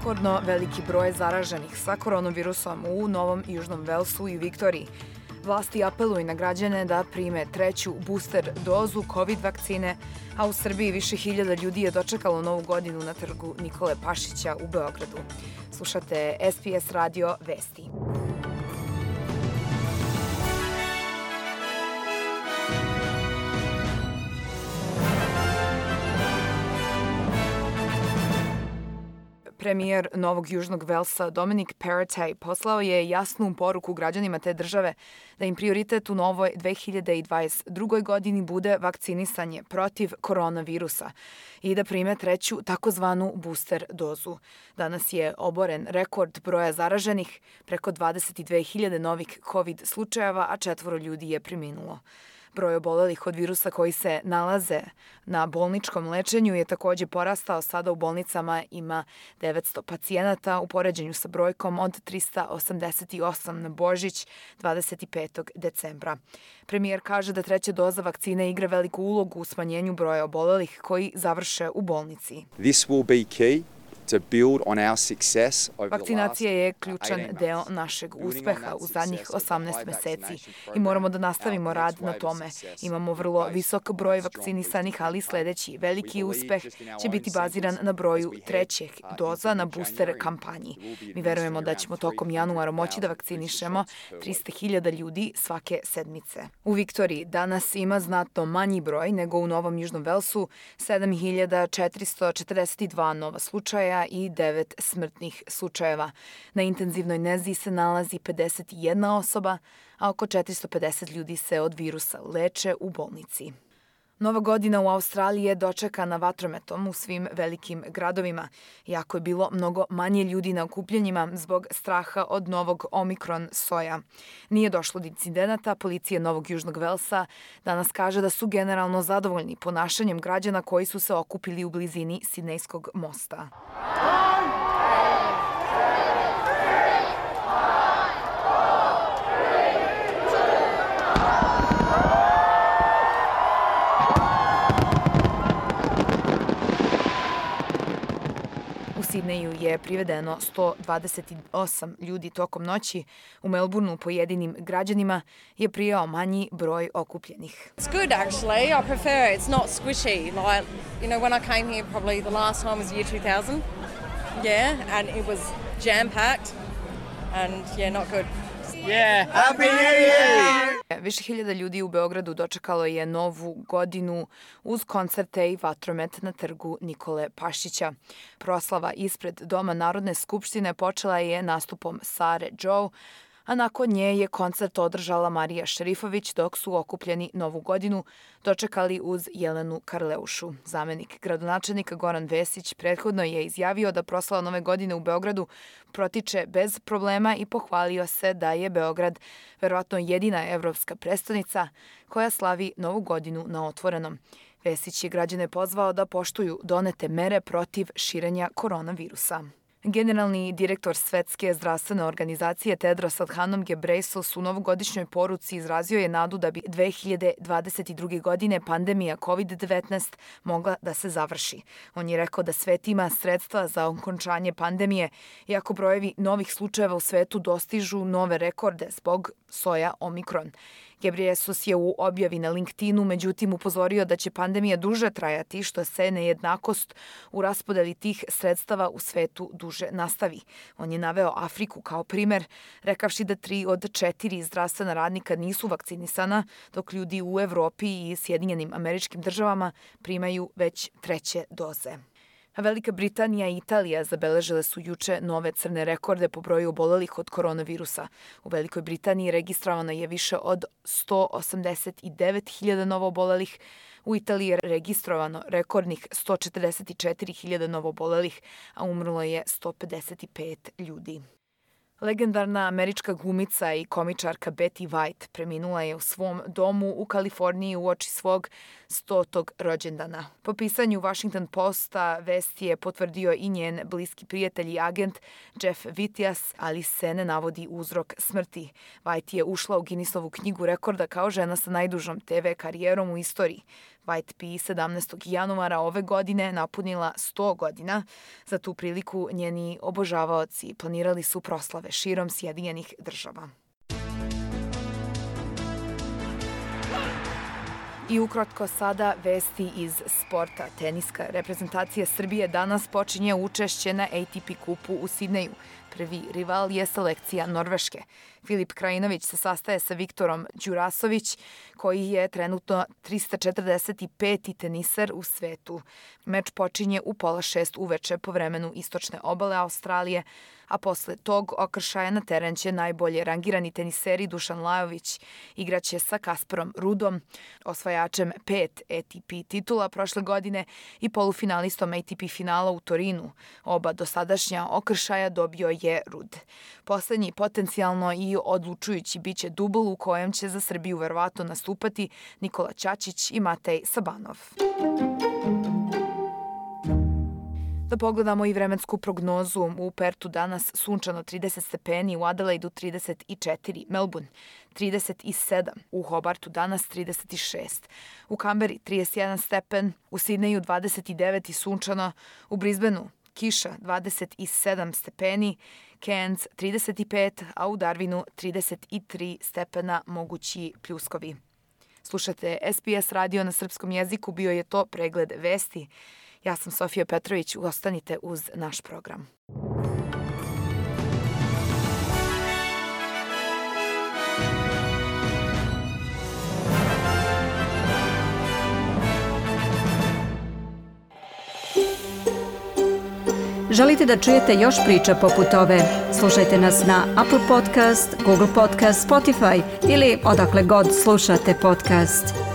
rekordno veliki broj zaraženih sa koronavirusom u Novom Južnom Velsu i Viktoriji. Vlasti apeluju na građane da prime treću booster dozu COVID vakcine, a u Srbiji više hiljada ljudi je dočekalo Novu godinu na trgu Nikole Pašića u Beogradu. Slušate SPS radio Vesti. Premijer Novog Južnog Velsa Dominic Perrottet poslao je jasnu poruku građanima te države da im prioritet u novoj 2022. godini bude vakcinisanje protiv koronavirusa i da prime treću takozvanu booster dozu. Danas je oboren rekord broja zaraženih, preko 22.000 novih COVID slučajeva, a 4 ljudi je preminulo. Broj obolelih od virusa koji se nalaze na bolničkom lečenju je takođe porastao. Sada u bolnicama ima 900 pacijenata u poređenju sa brojkom od 388 na Božić 25. decembra. Premijer kaže da treća doza vakcine igra veliku ulogu u smanjenju broja obolelih koji završe u bolnici. This will be key. Vakcinacija je ključan deo našeg uspeha u zadnjih 18 meseci i moramo da nastavimo rad na tome. Imamo vrlo visok broj vakcinisanih, ali sledeći veliki uspeh će biti baziran na broju trećih doza na booster kampanji. Mi verujemo da ćemo tokom januara moći da vakcinišemo 300.000 ljudi svake sedmice. U Viktoriji danas ima znatno manji broj nego u Novom Južnom Velsu, 7.442 nova slučaja i 9 smrtnih slučajeva. Na intenzivnoj nezi se nalazi 51 osoba, a oko 450 ljudi se od virusa leče u bolnici. Nova godina u Australiji je dočekana vatrometom u svim velikim gradovima. Iako je bilo mnogo manje ljudi na okupljanjima zbog straha od novog Omikron soja. Nije došlo do incidenata. Policija Novog Južnog Velsa danas kaže da su generalno zadovoljni ponašanjem građana koji su se okupili u blizini Sidnejskog mosta. U Sidneju je privedeno 128 ljudi tokom noći. U Melbourneu pojedinim građanima je prijao manji broj okupljenih. It's good actually. I prefer it. It's not squishy. Like, when I came here probably the last time was year 2000. Yeah, and it was jam-packed and not good. Yeah, Happy New Year! Više hiljada ljudi u Beogradu dočekalo je Novu godinu uz koncerte i vatromet na trgu Nikole Pašića. Proslava ispred Doma Narodne skupštine počela je nastupom Sare Joe, a nakon nje je koncert održala Marija Šerifović, dok su okupljeni Novu godinu dočekali uz Jelenu Karleušu. Zamenik gradonačelnika Goran Vesić prethodno je izjavio da proslava Nove godine u Beogradu protiče bez problema i pohvalio se da je Beograd verovatno jedina evropska prestonica koja slavi Novu godinu na otvorenom. Vesić je građane pozvao da poštuju donete mere protiv širenja koronavirusa. Generalni direktor Svetske zdravstvene organizacije Tedros Adhanom Ghebreyesus u novogodišnjoj poruci izrazio je nadu da bi 2022. godine pandemija COVID-19 mogla da se završi. On je rekao da svet ima sredstva za okončanje pandemije, iako brojevi novih slučajeva u svetu dostižu nove rekorde zbog soja Omikron. Ghebreyesus je u objavi na LinkedInu međutim upozorio da će pandemija duže trajati, što se nejednakost u raspodeli tih sredstava u svetu duže nastavi. On je naveo Afriku kao primer, rekavši da 3 od 4 zdravstvena radnika nisu vakcinisana, dok ljudi u Evropi i Sjedinjenim Američkim Državama primaju već treće doze. Velika Britanija i Italija zabeležile su juče nove crne rekorde po broju obolelih od koronavirusa. U Velikoj Britaniji registrovano je više od 189.000 novoobolelih, u Italiji je registrovano rekordnih 144.000 novoobolelih, a umrlo je 155 ljudi. Legendarna američka glumica i komičarka Betty White preminula je u svom domu u Kaliforniji uoči svog 100. rođendana. Po pisanju Washington Posta vesti je potvrdio i njen bliski prijatelj i agent Jeff Vitias, ali se ne navodi uzrok smrti. White je ušla u Guinnessovu knjigu rekorda kao žena sa najdužom TV karijerom u istoriji. White Pea 17. januara ove godine napunila 100 godina. Za tu priliku njeni obožavaoci planirali su proslave širom Sjedinjenih država. I ukratko sada vesti iz sporta. Teniska reprezentacija Srbije danas počinje učešće na ATP kupu u Sidneju. Prvi rival je selekcija Norveške. Filip Krajinović se sastaje sa Viktorom Đurasović, koji je trenutno 345. teniser u svetu. Meč počinje u 5:30 uveče po vremenu istočne obale Australije, a posle tog okršaja na teren će najbolje rangirani teniseri Dušan Lajović igraće sa Kasparom Rudom, osvajačem 5 ATP titula prošle godine i polufinalistom ATP finala u Torinu. Oba dosadašnja okršaja dobio je Rud. Poslednji potencijalno i odlučujući biće dubl u kojem će za Srbiju verovatno nastupati Nikola Ćačić i Matej Sabanov. Da pogledamo i vremensku prognozu. U Pertu danas sunčano 30 stepeni, u Adelaidu 34, Melbourne 37, u Hobartu danas 36, u Kamberi 31 stepen, u Sidneju 29 i sunčano, u Brisbaneu kiša 27 stepeni, Cairns 35, a u Darwinu 33 stepena, mogući pljuskovi. Slušate SBS radio na srpskom jeziku, bio je to pregled vesti. Ja sam Sofija Petrović, ostanite uz naš program. Želite da čujete još priča poput ove? Slušajte nas na Apple Podcast, Google Podcast, Spotify ili odakle god slušate podcast.